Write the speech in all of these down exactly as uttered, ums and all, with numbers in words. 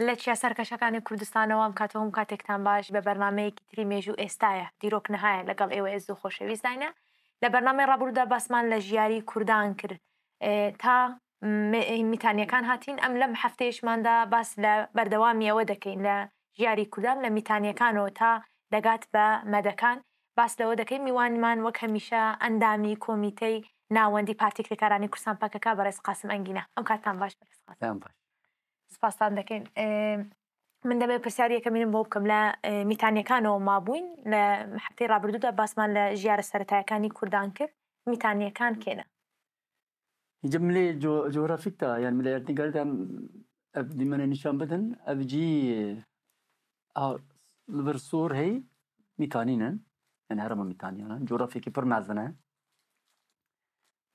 لە چیا سەرکەشەکانی کوردستانەوە ئەم کاتەوە ئەم کاتێکتان باش بە بەرنمەیەکی تری مێژوو ئێستایە دیرۆک نهایە لەگەڵ ئێوە ئێز و خۆشەویستداینە. لە بەرنمەی ڕابوودا باسمان لە ژیاری کوردان کرد. ئێ، تا م-، میتانیەکان هاتین، ئەم لەم هەفتەیەشماندا باس لە بەردەوامی ئەوە دەکەین لە ژیاری کوردان لە میتانیەکانەوە تا دەگات بە مەدەکان. باس لەوە دەکەین میوانمان وەک هەمیشە ئەندامی کۆمیتەی ناوەندی پارتی کرێکارانی کوردستان پەکەکە بەڕێز قاسم ئەنگینە. ئەم کاتتان باش بەڕێز قاسم. پێیان باش. سپاستان دەکەین. ئێ، من دەمەوێت پرسیاری یەکەمینم بۆ بکەم. لە، ئێ، میتانیەکانەوە مابووین، لە هەفتەی ڕابردوودا باسمان لە ژیارە سەرەتایەکانی کوردان کرد. میتانیەکان کێنە؟ Îca milê co- coğrafik de, yani milê erdnîgarî de em ev dîmenê nîşan bidin, ev cî a, li vir sor hey Mîtanî ne. Yani herêma Mîtanî ne. Coğrafyekî pir mezin e.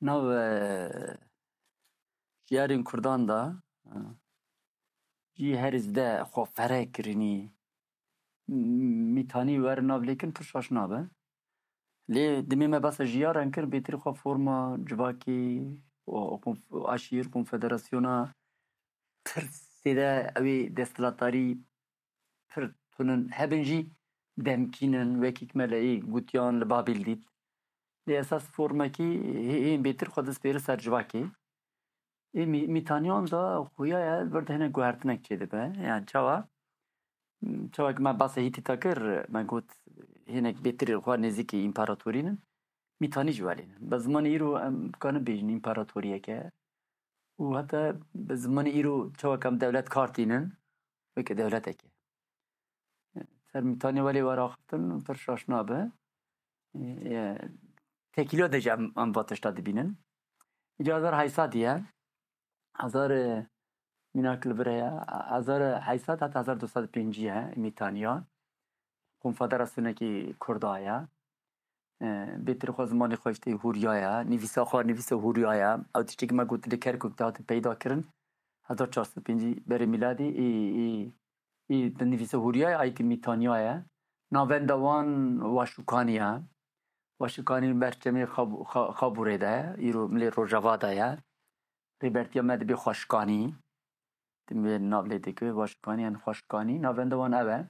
Nav, e, şiyarên Kurdan de, e, cî herî zde xwe fere kirinî, m- Mîtanî wer nav lêkin pir şaş nabe. Lê dimê me behsa jiyaran kir, bêtir xwe forma civakê û, û konf- aşîr, konfederasyona pir zêde ew ê desthilatdarî pir tunin hebin jî demkînin, wekî me lê gotiyan li Babîl dît. Lê esas formekî hê- hên bêtir xwe dest pêre ser civakê. Ê mî- mîtaniyan de xuya ye, li vir de hinek guhertinek çêdibe. Yani çawa? Çawa ki me behsa Hîtîta kir, me got hinek bêtir xwe nêzîkî împaratorî ne. Mîtanî jî welê ne. Bi zimanê îro em kanin bêjin împaratoriyeke. Û heta bi zimanê îro çawa ki em dewlet kar tînin, weke dewleteke. Ser Mîtanî welê were axiftin pir şaş nabe. Ê, tekîliya de jî em, em va tişta dibînin. Îca hezar heyt sed ye. Hezar, e, mînak li vir heye. Hezar heyt sed heta hezar du sed pêncî ye Mîtaniya. Konfederasyonekî Kurda ye. E, bêtir xwe zimanê xwe işte Hûriya ye. Nivîsa xwe nivîsa Hûriya ye. Ew tiştekî me got li Kerkûk de hatin peyda kirin. Hezar çar sed pêncî berê mîladî ê, ê, ê di nivîsa Hûriya ye, ayî ki Mîtaniya ye. Navenda wan Waşûkanî ye. Waşûkanî berçemê Xab- Xa- Xabûrê de ye. Îro milê Rojava de ye. Rêbertiya me dibê Xweşkanî. Tim wê nav lê dike, Waşkanî yan Xweşkanî. Navenda wan ev e.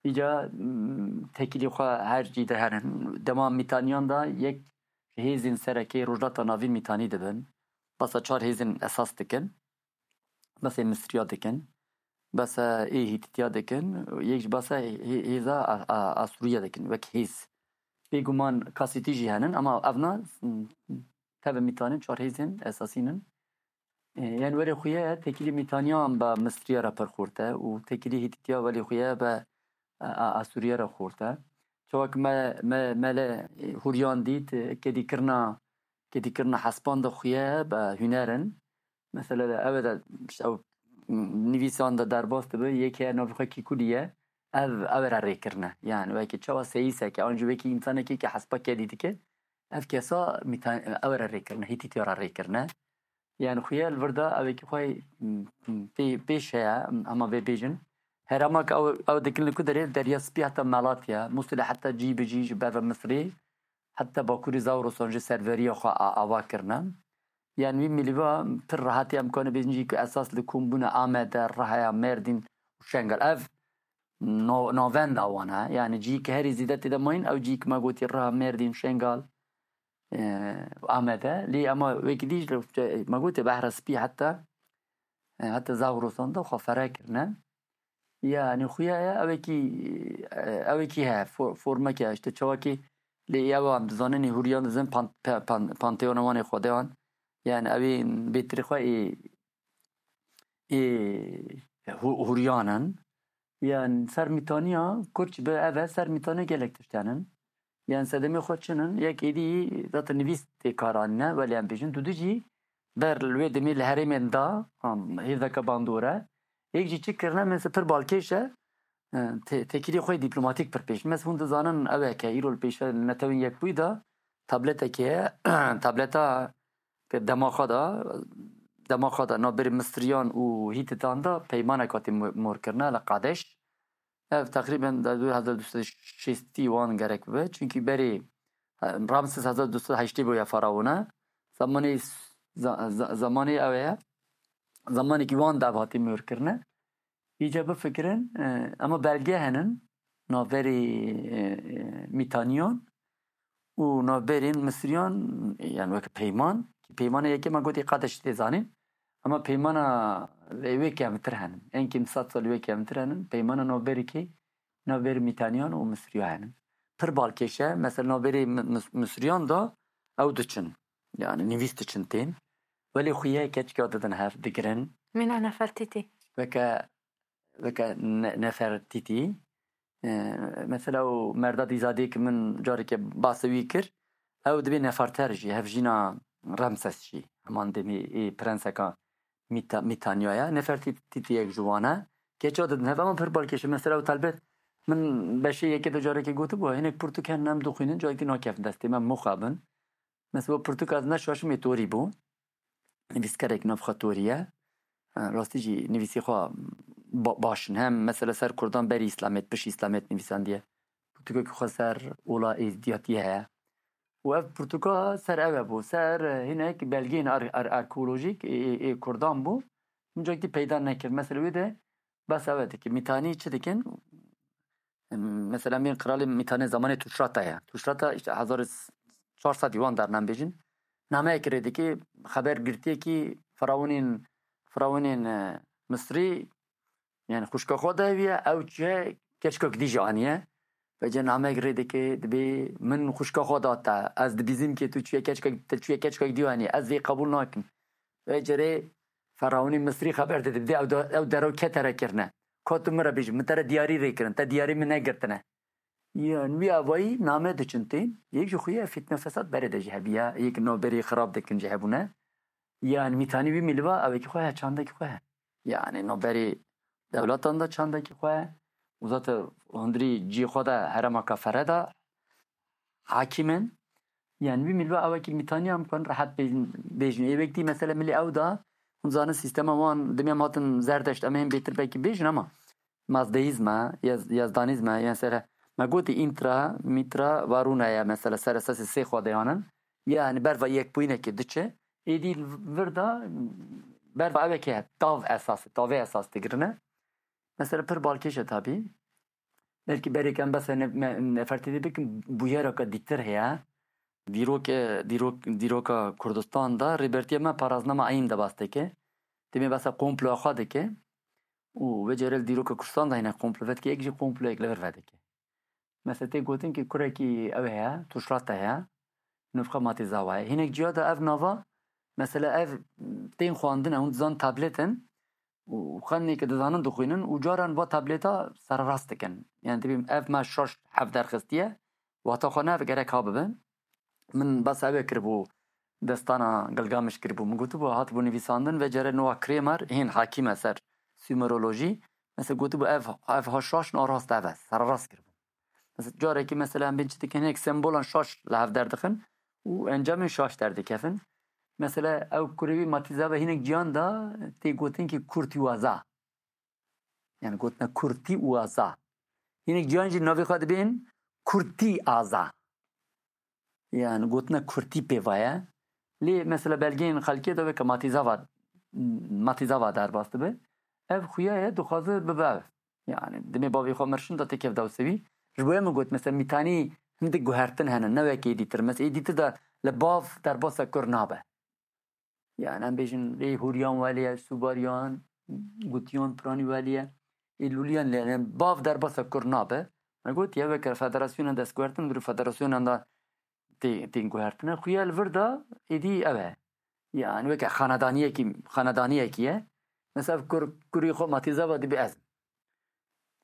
Îca, mm, tekîlî xwe her cî de herin. Dema Mîtaniyan de yek ji hêzên serekê Rojhilata Navîn Mîtanî dibin. Basa çar hêzên esas dikin. Basê Misriya dikin. Basa ê Hîtîtiya dikin. Yek jî basa hê- hêza A- A- Asûriya dikin. Wek hêz. Bêguman kasîtî jî henin, ama evna, mm, tevî Mîtanî çar hêzên esasî nin. E, yani were xuye tekîlî Mîtaniyan be Misriya re pir xurt e û tekîlî Hîtîtiya welê xuye be, e, e, Asûriya re xurt e. Çawa ki me, me, me lê, e, Hûriyan dît, e, kedîkirina, kedîkirina hespan de xuye be huner in. Mesela de ew de, işte, ew, m- nivîsan de derbas dibe, yek heye navê xwe Kîkulî ye, ev, ew re rê kirine. Yani wekî çawa seyîseke, an jî wekî însanekî ki hespa kedî dike, ev kesa Mîta- ew re rê kirine, Hîtîtiya re rê kirine. Yani xuya li vir de ew ê ki xwe, m- m- pê- pêş heye, hema vê bêjin. Herêma ki ew, ew dikin li ku derê, Derya Spî heta Malatya, Mûsilê heta cî bi cî ji ber ve Misrê, heta Bakurê Zawrosan jî serveriya xwe a- ava kirine. Yani wî milîva pir rehetî em karin bêjin cî ku esas li kom bûne Amede, Rihaya, Mêrdîn û Şengal. Ev no- navenda wan e. Yani cî ki herî zêde tê de mayîn, ew cî ki me gotî Riha, Mêrdîn, Şengal, e, Amede. Lê ema wekî dî ji me gotê Behra Spî heta, e, heta Zawrosan de xwe fere kirine. Yani xuya ye, ewekî, e, ewekî heye, fo- formeke, işte çawakî lê ew em dizanin, Hûriyan dizin pan- pe- pan- panteona wan ê xwedeyan. Yani ew ê bêtirî xwe ê, ê Hû- Hûriyan in. Yani ser Mîtaniya, Kurd jî bi ev e, ser Mîtaniya gelek tişt henin. Yani sedemê xwe çin in, yek êdî zaten nivîs tê kar anîne, welê em bêjin, dudî jî ber li wê demê li herêmên da, am, hêzeke bandor e. Yek jî çi kirine, mesela pir balkêş e, e, te- tekîlê xwe yê dîplomatîk pir pêş. Mesela hûn dizanin ew e ke îro li pêşe li Netewên Yekbûyî de tableteke ye, tableta ke dema xwe de, dema xwe de navberê Misriyan û Hîtitan de peymanek hatî mo- mor kirine li Qadeş. Ev teqrîben di hezar du sed şêstî wan gerek bibe. Çunkî berê, e, Ramses hezar du sed heştê bûye faraona. Zamanê s- za- za- zamanê ew ye. Zamanekî wan de ev hatî mor kirine. Îca bifikirin, e, ema belge henin, navberî, e, e, Mîtaniyan û navberên Misriyan, yani weke peyman, ki peymana yekê me gotî qadeş tê zanîn, ema peymana wê kevtir henin. En kêm sed sal wê kevtir henin, peymana navberî kê, navberî Mîtaniyan û Misriya henin. Pir balkêş e, mesela navberî Mi-, Mis-, Misriyan da ew diçin, yani nivîs diçin tên, welê xuye keçika didin hev, digirin. Mîna Nefertîtî. Weke weke Ne-, Nefertîtî. E, mesela û merda dîzadê ki min careke basê wî kir, ew dibê Neferter jî, hevjîna Ramses jî, heman demê ê prenseka Mîta-, Mîtanyaya. Nefertîtî yek ji wan e. Keça didin hev, ama pir balkêş e. Mesela û telbet min beşê yekê de careke gotibû, hinek pirtûk henin em dixwînin, careke nakevin destê me, muxabin. Mesela pirtûka ez neşaşim ê Torî bû. Nivîskarek navxwe Torî ye. E, rastî jî nivîsî xwe ba-, baş in. Hem mesela ser Kurdan berî Îslamêt, pişt Îslamêt nivîsandiye. Pirtûkekî xwe ser ola Êzdiyatiyê heye. Û ev pirtûka ser ew e bû. Ser, e, hinek belgeyên ar-, ar-, arkeolojîk ê, ê, ê Kurdan bû. Min cakî peyda nekir. Mesela wê de bes ew e dike. Mîtanî çi dikin? Mesela, em bên qiralê Mîtanê zamanê Tuşrata ye. Tuşrata, işte, hezar û çar sed wan dernan bêjin. Nameyek rê dike, xeber girtiyekî firawinên, firawinên, e, Misrî, yani xwişka xwe daye wî ye, ew çûye keçikek dî jî aniye. Vêce nameyek rê dike, dibê min xwişka xwe da te, ez dibîzim ke tu çûye keçikek, te çûye keçikek dî anî, ez vê qebûl nakim. Vêce rê firawinê Misrî xeber dide, dibê ew da-, ew derew ke te re kirine. Ka tu min re bêjî, min te re diyarî rê kirin, te diyarî min negirtine. Yan wî avayî name diçin tên, yek ji xuya fitne fesad berê de jî hebiya, yek navberê xirab dikin jî hebûne. Yan Mîtanî wî mîliva, ewekî xwe he, çandekî xwe he. Yani navberê dewletan de çandekî xwe he. Û zaten hundirî cî xwe de herema kafere de hakîm in. Yani wî mîliva ewekî Mîtanî em kan rehet bêjin, bêjin. Ê wek dî mesela milî ew da, hûn zanin sîstema wan, dimê em hatin Zerdeşt, em ê hên bêtir belkî bêjin ama Mazdeîzme, Yez-, Yezdanîzme, yên ser me gotî Întra, Mîtra, Varûna ye, mesela ser esasê sê xwedeyan in. Yani berva yekbûyînekê diçe. Êdî vir de berva ewekê he, tav esas, tavê esas digirine. Mesela pir balkêş e tabî. Belkî berêk em behsa ne-, me-, Nefertîtî bikin, bûyereke dîtir heye. Dîrokê, dîrok-, dîroka Kurdistan de Rêbertiya me paraznama Eyn de bas dike. Demê behsa komploya xwe dike. Û vê carê li dîroka Kurdistan de hene komplo vedike, yek jî komployek li vir vedike. Mesela tê gotin ki kurekî ew heye, Tuşrata heye, nivxa Matî Zawa ye. Hinek ciya de ev nava, mesela ev tên xwandin e, hûn dizan tablet in û xwendinê ke dizanin dixwînin û caran va tableta sererast dikin. Yani dibî ev me şaş hevderxistiye, wata xwe ne, ev gerek ha bibe. Min behsa ew ê kiribû, destana Gilgamiş kiribû. Min gotibû, hatibû nivîsandin, vê carê Noah Kramer, hên hakîm e ser Sumerolojî. Mesela gotibû, ev, ev ha şaş in, a rast ev e, sererast kiribû. Mesela carekî mesela em bên çi dikin, hinek sembolan şaş li hev derdixin û encamên şaş derdikevin. Mesela ew kurê wî Matî Zawa hinek ciyan da tê gotin ki kurtîwaza. Yani gotine kurtî û aza. Hinek ciyan jî navê xwe dibên kurtî aza. Yani gotine kurtî pê va ye. Lê mesela belgeyên xelkê de weke Matî Zawa, Matî Zawa derbas dibe. Ev xuya ye, dixwaze bibe ev. Yani dimê bavê xwe mirşin da têkev dewsevî. Ji bo ye min got, mesela Mîtanî hindik guhertin hene, ne weke êdîtir. Mesela êdîtir de li bav derbasa kur nabe. Yani em bêjin, ê Hûriyan welê ye, Sûbariyan, Gutiyan, Piranî welê ye, ê Lûliyan lê ye. Yani bav derbasa kur nabe. Me got, ye weke federasyona destguhertin, dûrî federasyonan da tê-, tên guhertine. Xuya li vir de êdî ev e. Yani weke xanedaniyekî, xanedaniyekî ye. Mesela kur, kurî xwe Matî Zawa dibê ez.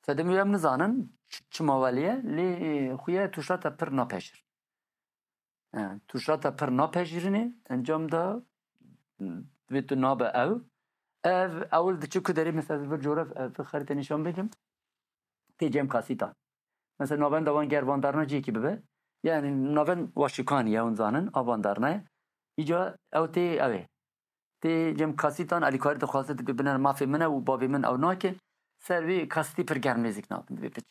Sedemî em nizanin ç-, çima welê ye, lê, e, xuya tûşata pir napejir. E, tûşata pir napejirînê, encam da, m, divê tu nabe ew. Ev, ewil diçe ku derê, mesela, vir coğraf-, e, vir xerîte nîşan bidim. Tê cem kasîtan. Mesela, navenda wan ger vandarna cihekî bibe. Yani, navend Waşikanî ye, hûn zanin, a vandarna ye. Îca ew tê ew ê. Tê cem kasîtan, alîkarî dixwaze, dibê biner mafê min e û bavê min ew nake. Ser vê kasîtî pir germ nêzîk nabin, dibê biçe.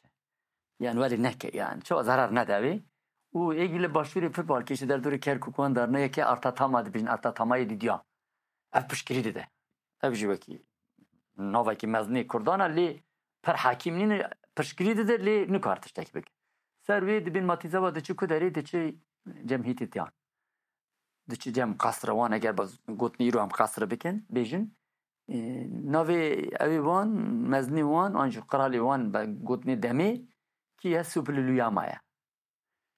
Yani welê neke, yani çawa zarar nede wê. Û êgî li başûrê pir balkêş e, derdorê Kerkûk wan darna yekê arta tama dibêjin, arta tamayê dîdiya. Ev piştgirî dide. Ev jî wekî navekî mezinê Kurdan e, lê pir hekîm nîne, piştgirî dide, lê nikar tiştekî bike. Ser wê dibên Matîzava diçi ku derê diçi cem Hîtîtiyan. Diçi cem qesre wan, eger baz gotinê îro em qesre bikin, bêjin, e, navê ewê wan, mezinê wan, an jî qiralê wan be gotinê demê kî ye? Supililuyama ye.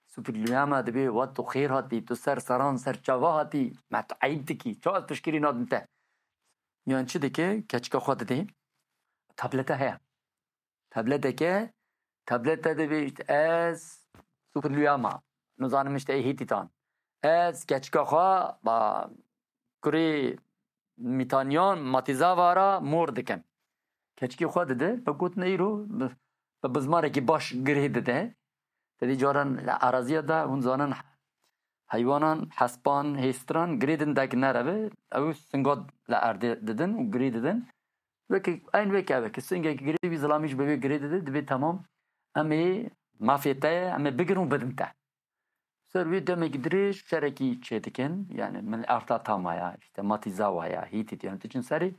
Supililuyama dibê, wat tu xêr hatî, tu ser seran ser çava hatî, me tu eyb dikî, çawa ez piştgirî nadim te? Yan çi dike? Keçika xwe didê. Tablete heye. Tableteke, tablete dibê, işte, ez Supililuyama, nizanim, işte, ê Hîtîtan. Ez keçika xwe ba kurê Mîtaniyan, Matîzava ra mor dikim. Keçikê xwe dide, bi gotin îro bi, bi bizmarekî baş girê dide. Tedî caran li araziya de hûn zanin heywanan, hespan, hêstiran girê din dek nereve, ew singa li erdê didin û girê didin. Weke, eyn weke, weke singekî girê wî zilamî ji bi wê girê dide, dibê temam, em ê mafê te ye, em ê bigirin û bidin te. Ser wê demekî dirêj şerekî çêdikin, yani min erta tamaya, işte Matîzawa ya, Hîtît, yani diçin serê,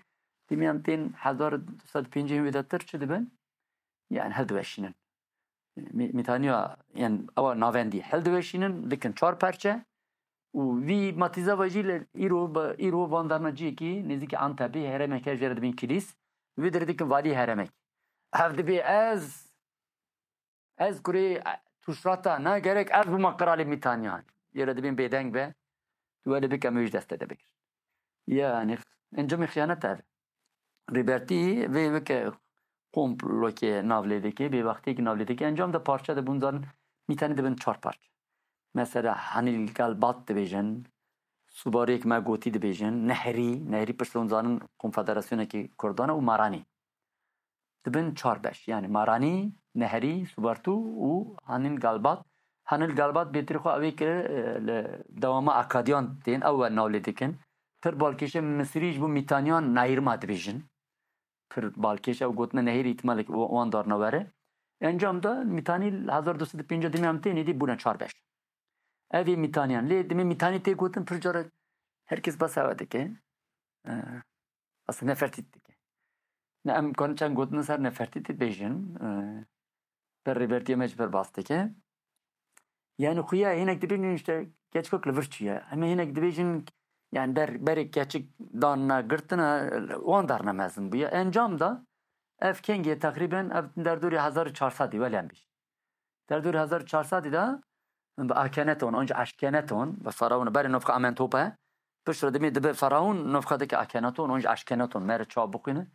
dimiyan tên hezar du sed pêncî wê de tir çi dibin? Yani hildiweşînin. Mî-, Mîtaniya, yani ewa navendî hildiweşînin, dikin çar perçe û vî Matîzava jî li îro, bi îro van darna ciyekî nêzîkî Antepê, herêmeke jê re dibên Kilîs, wê dirê dikin valî herêmek. Ev dibê ez, ez kurê Tuşrata, na gerek ez bûma qiralê Mîtaniyan. Jê re dibên bêdeng be, tu welê bike, em wê ji destê de bigirin. Yani, encamê xiyanet ev. Rêbertî vê weke komplokê nav lê dike, bêbextiyekî nav lê dike. Encam de parçe de bûn zanin, Mîtanî dibin çar parçe. Mesela Hanîl Galbat dibêjin, Subarêk me gotî dibêjin, Nehrî, Nehrî pişt hûn zanin konfederasyonekî Kurdan e û Maranî. Dibin çar beş. Yani Maranî, Nehrî, Subartû û Hanîl Galbat. Hanîl Galbat bêtirî xwe ew ê kir, e, li dewama Akadiyan tên, ew we nav lê dikin. Pir balkêşe Misirî ji bo Mîtaniyan Nehîrma dibêjin. Pir balkêş ew gotine Nehîr, îhtimalek wan darna were. Encam de Mîtanî hezar du sed û pêncî demê em tên êdî bûne çar beş. Ev ê Mîtaniyan. Lê demê Mîtanî tê gotin pir cara herkes behsa we dike. E, Aslında nefertît dike. Ne em kan çend gotin ser nefertîtê bêjin, e, ber rêbertiya me ji ber bas dike. Yani xuya hinek dibêjin işte keçkok li vir çûye. Em hinek dibêjin yani ber, berê keçik danna girtina, wan darna mezin bûye. Encam da ev kengê teqrîben ev derdorê hezar û çar sedî welem bî. Derdorê hezar û çar sedî de bi Akeneton, onca Eşkeneton, bi Faraon, berê nofka Amentope, piştre dimê dibe Faraon, nofka dike Akeneton, onca Eşkeneton, mere çawa bixwîne,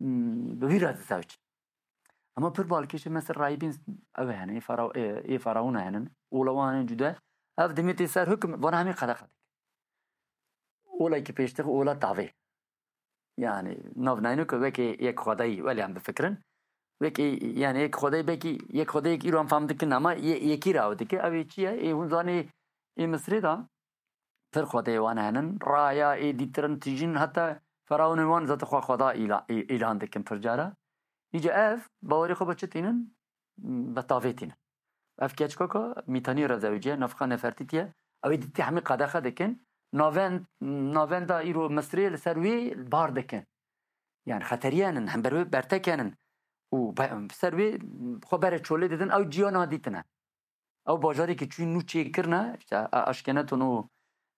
hmm, bi wî re dizewc. Ama pir balkêşe mesela rahîbîn ew hene, ê Fara-, ê, ê Faraona henin, ola wan henin cude, ev dimê tê ser hukm, vana hemî qedexe dike. Ola ki pêştir, ola tavê. Yani, nav nayno ku wekî yek xwedayî, welê em bifikirin. Wekî, yani, yek xwedayî, belkî yek xwedayê îro em fam dikin, ama ye-, yekî re ew dike. Ew ê çi ye? Ê hûn zanê, ê Misirê de pir xwedayê wan henin. Raya, ê dîtirin, tijîn, heta feraonên wan zaten xwe xweda îla-, î-, îlan dikin pir cara. Îca ev, bawerê xwe bi çi tînin? Bi tavê tînin. Ev keçkoka Mîtanî re zewiciye, nafqa Nefertîtiye. Ew ê dîtî hemî qedexe dikin. Navend-, navenda îro Misirê li ser wê bar dikin. Yani xeteriyenin, hember wê bertekenin. Û be-, ser wê xwe bere çolê didin, ew ciya nadîtine. Ew bajarekî çûyî nû çêkirine, işte, a-, Aşkeneton û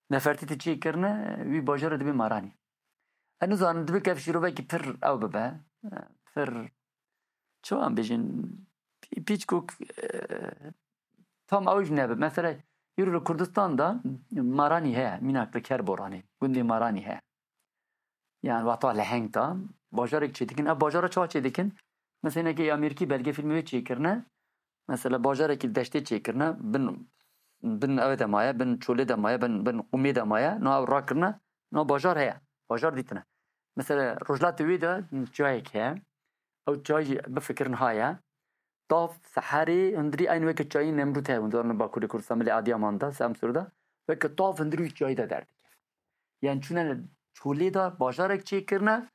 Nefertîtî çêkirine, wî bajara dibê Maranî. Ez nizanim, dibe ke ev şîrovekî pir ew bibe, pir, çi wan bêjin, pî-, pîçkok, e, tam ew jî nebe. Mesela, îro li Kurdistan de Maranî heye, mînak li Kerboranê, gundê Maranî heye. Yani wexta leheng de, bajarek çêdikin. Ev bajara çawa çêdikin? Mesela, hinekî Amerîkî belgefîlmê wê çêkirine. Mesela, bajarekî deştê çêkirine, bin, bin ew de maye, bin çolê de maye, bin, bin qumê de maye, no ew rakirine, no bajar heye, bajar dîtine. Mesela, rojhilatê wê de çiyayek heye, ew çiyayê jî bifikirin ha ye, tav seherê hundirî eyn weke çiyayê Nemrûd heye, hundir li Bakurê Kurdistan, milê Adiyaman de, Semsûr de, weke tav hundirî wî çiyayê de derdikeve. Yani çûne li çolê de bajarek çêkirine,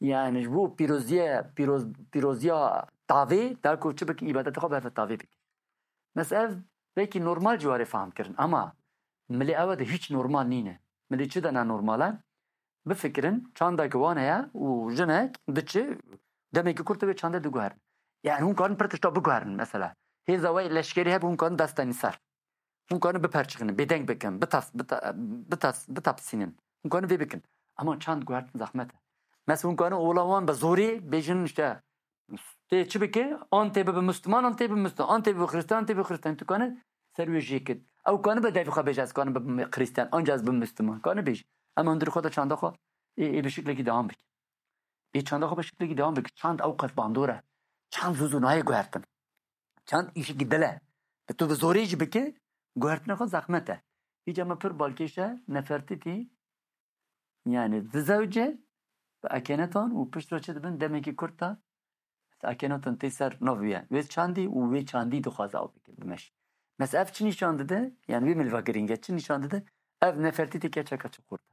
yani ji bo pîroziye, pîroz-, pîroziya tavê, da ku çi bikin, îbadetê xwe berve tavê bikin. Mesela ev belkî normal ciwarê fam kirin, ama milê ew de hiç normal nîne. Milê çi de ne normal e? bifikirin, çandek wan heye û jinek diçe demekî kurt wê çandê diguherin. Yani hûn karin pir tişta biguherin mesela. Hêza we leşkerî hebe hûn karin desteni ser. Hûn karin biperçixin, bêdeng bikin, bitas, bita, bitas, bitapsînin. Hûn karin vê bikin. Ama çand guhertin zehmet e. Mesela hûn karin ola wan bi zorê bêjin işte tê çi bike? An tê bibe Müslüman, an tê bibe Müslüman, an tê bibe Hristiyan, an tê bibe Hristiyan. Tu karin ser wê jê kit. Ew karin bi devî xwe bêje ez karin bibe Hristiyan, anca ez bibe Müslüman. Karin bêjî. Em hundir xwe de çanda xwe ê, ê bi şiklekî devam bike. Ê çanda xwe bi şiklekî devam bike. Çand ew qas bandor e. Çand zû zû nayê guhertin. Çand îşekî dil e. Bi tu bi zorê jî bike, guhertina xwe zehmet e. Îca me pir balkêş e, Nefertitî, yani dizewce bi Akenaton û pişt re çi dibin demekî kurt de Akenaton tê ser nav wî ye. Wê çandî û wê çandî dixwaze ew bike, bimeşe. Mesela ev çi nîşan dide? Yani wê milva girîng e, çi nîşan dide? Ev Nefertitî keçeka çi kurt e.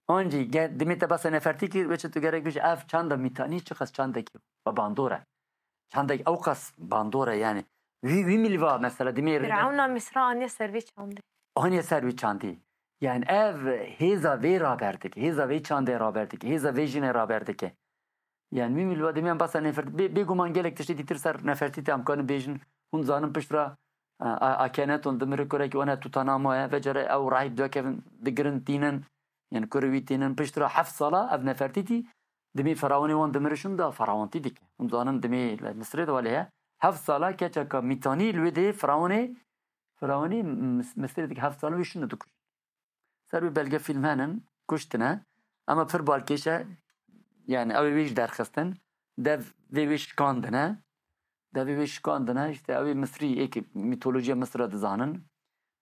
Ancî ge-, dimê te behsa Nefertî kir, wê çi tu gerek bêjî, ev çanda Mîtanî çiqas çandekî bandor e. Çandek ew qas bandor e yani. Wî, wî milva mesela dimê rê de Firavuna Misra aniye ser vê çandê. Aniye ser vê çandê. Yani ev hêza vê raber dike, hêza vê çandê raber dike, hêza vê jinê raber dike. Yani wî milva dimê em behsa Nefert-, bê, bêguman gelek tiştê dîtir ser Nefertîtî em karin bêjin, hûn zanin pişt re, a, a, Akenaton dimire kurekî wan e Tutanama ye, vecere ew rahîb dikevin, digirin, tînin, yani kurê wî tînin, pişt re heft sala ev Nefertîtî dimê firawonê wan dimire şûn da firawantî dike. Hûn zanin dimê li Misirê de welê heye. Heft sala keçeka Mîtanî li wê dê firawonê, firawonê Mis-, Misirê dike heft sala wê şûn dikujin. Ser wî belge fîlm henin, kuştine. Ama pir balkêş e, yani ew ê wê jî derxistin. Dev vê wê şikandine. Devê wê şikandine, işte ew ê Misrî, êkî mîtolojiya Misra dizanin.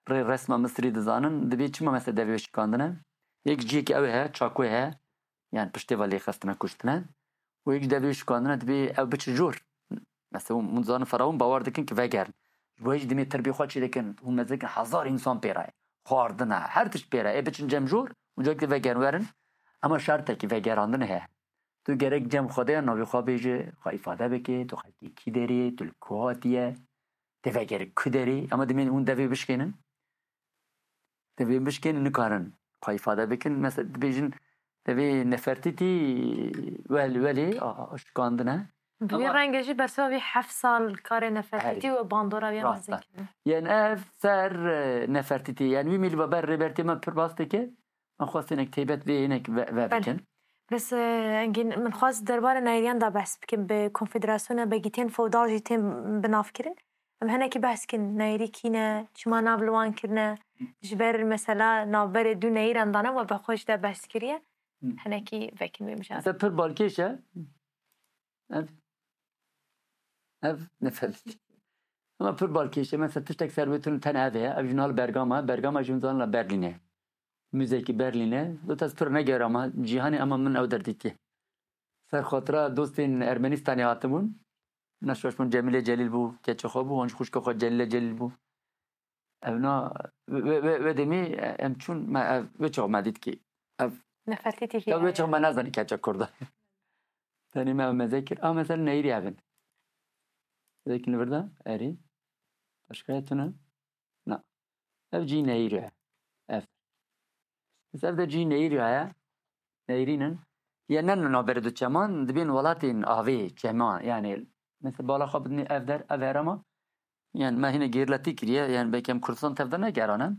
Rê resma Misrî dizanin. Dibê çima mesela devê wê şikandine? Yek cihekî ew ê he, çakoyê he. Yani piştê ve lêxistine, kuştine. Û yek ji devê wê şikandine dibê ew biçe jor. Mesela hûn, hûn dizanin firawon bawer dikin ki vegerin. Ji bo hê jî dimê tirbê xwe çê dikin, hûn mezin dikin hezar însan pê re ye. Xwardin e, her tişt pê re ye. Ê biçin cem jor, û cek de vegerin werin. Ama şertekî vegerandin heye. Tu gerek cem Xwedê ya navê xwe bêjî, xwe îfade bikî, tu xelkê kî derê, tu li ku hatiye, tê vegerî ku derê. Ama dimê hûn devê bişkênin. Divê bişkên nikarin xwe îfade bikin. Mesela dibêjin divê Nefertitî wel-, welê a-, a-, şikandine. Bi wî Ama rengê jî bersiva vî heft sal karê Nefertitî Erê. û bandora wî Rast e. mezin kirin. Yên ev ser, e, Nefertitî. Yên wî mîlva ber rêbertê me pir bas dike. Em xwestinek têbet vê hinek ve, ve Belê. bikin. Bes, e, Engîn, min xwest derbarê neyriyan da behs bikim. Bi konfederasyona begîtiyên feodal jî tên bi nav kirin. Em hinekî behs kin, neyirî kî ne, çima nav li wan kirine, ji ber mesela navberê du neyiran dane we bi xwe ji de behs kiriye. Hı. Hinekî vekin wê mijarê. Mesela pir balkêş e. Ev, ev nefes. Ama pir balkêş e. Mesela tiştek ser wê tune tene ev e. Ev jî nal Bergama. Bergama jî hûn zanin la Berlîn e. Müzeyekî Berlîn e. Dot ez pir negerama cîhanê ama min ew derdîtiye. Ser xatira dostên Ermenistanê hatibûn. Neşweş bûn, Cemîlê Celîl bû, keçê xwe bû, wan jî xwişka xwe Celîle Celîl bû. Ev na, wê, wê, wê, wê demê em çûn, me ev, wê çax me dît kî ev Nefertî T V ya wê çax ye. me nezanî keçe Kurda. Tenê me ev meze kir. A, mesela neyîrî ev in. Zekin li vir de, erê. Başka ye tune? Na. Ev cî neyîrî ye. Ev. Biz ev de cî neyîrî ye. Neyîrînin. Ye ne navberê du çeman, dibên welatên avê, çeman. Yani, mesela bala xwe bidinê ev der, ev herema. Yani, me hîne gêrletî kiriye. Yani, belkî em Kurdistan tev de negerane.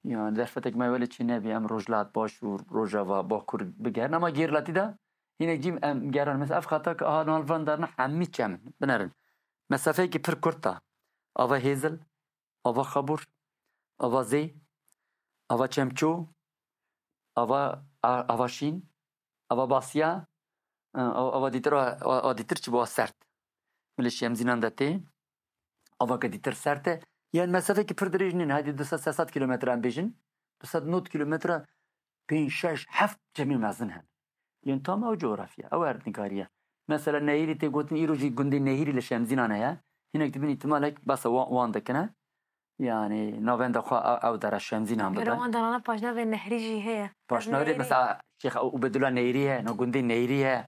Yani, derfetek me welê çê nebî, em Rojhilat, Başûr, Rojava, Bakur bigerin. Ama gêrletî de hîne cî em geran. Mesela ev xeta ki aha nal van darna hemî çem in. Binerin. Mesafeyekî pir kurt e. Ava Hêzil, ava Xabûr, ava Zê, ava Çemçû, ava, a-, ava Şîn, ava Basya, e, a-, ava dîtir, a-, a-, a dîtir çi bo a sert. Milê Şemzînan de tê, ava ke dîtir sert e. Yani mesafekî pir dirêj nîn, hadi du sed sê sed kilometre em bêjin, du sed nod kilometre, pênc, şeş, heft cemê mezin hene. Yên tam ew coğrafya, ew erdnîgarî ye. Mesela Nehîrî tê gotin, îro jî gundê Nehîrî li Şemzînan heye. Hinek dibin îhtimalek behsa wa-, wan dikine. Yani navenda xwe ew, ew dera Şemzînan Gere bibe. wan derana paşnavê Nehrî jî heye. Paşnavê Nehîrî. Mesela Şêx Ubedullah Nehîrî heye, no gundê Nehîrî heye.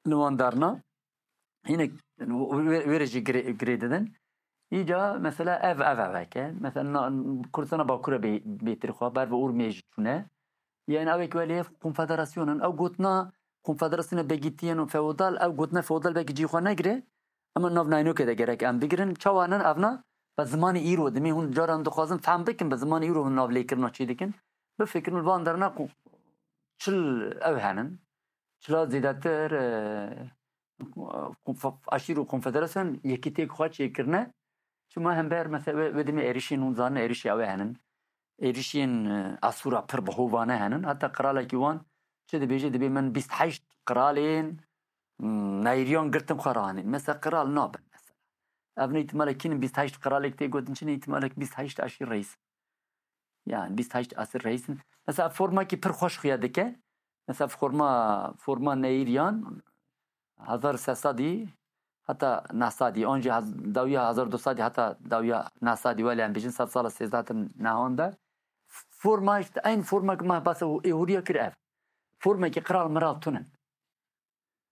Li wan darna. Hinek wê, wê re jî girê, girê didin. Îca mesela ev, ev, ev heke. Mesela na, Kurdistana Bakur e bê-, bêtir xwe, ber bi Urmiyê jî çûne. Yên ew ê ku welê konfederasyon in, ew gotina konfederasyona begîtiyên û feodal, ew gotina feodal belkî cî xwe negire, ama nav naynokê de gerek em bigirin. Çawa nin evna? Bi zimanê îro dimê hûn caran dixwazin fehm bikin, bi zimanê îro hûn navlêkirina çê dikin. Bifikirin li van derna ku çil ew henin. Çila zêdetir, e, konf-, eşîr û konfederasyon yekîtiyek xwe çêkirine. Çima hember mesela wê, wê demê êrişên hûn zanin, êrişê ew ê henin. Êrişên, e, Asûra pir bi hovane henin. Heta qiralekî wan çi dibêje, dibê min bîst heşt qiralên, m, neyriyan girtin xwe ranîn. Mesela qiral nabin mesela. Ev ne îhtimalek kînin bîst heşt qiralek tê gotin, çi ne îhtimalek bîst heşt eşîr reis. Yani bîst heşt esir reis in. Mesela formekî pir xweş xuya dike. Mesela forma, forma neyriyan hezar sê sedî heta neh sedî, an jî hez-, dawiya hezar du sedî heta dawiya neh sedî, wele em bêjin sed sala sêzdeh hatin nehan de. Forma işte, eyn forma ki me behsa êhoriya kir ev. Formekî qiral miral tunin.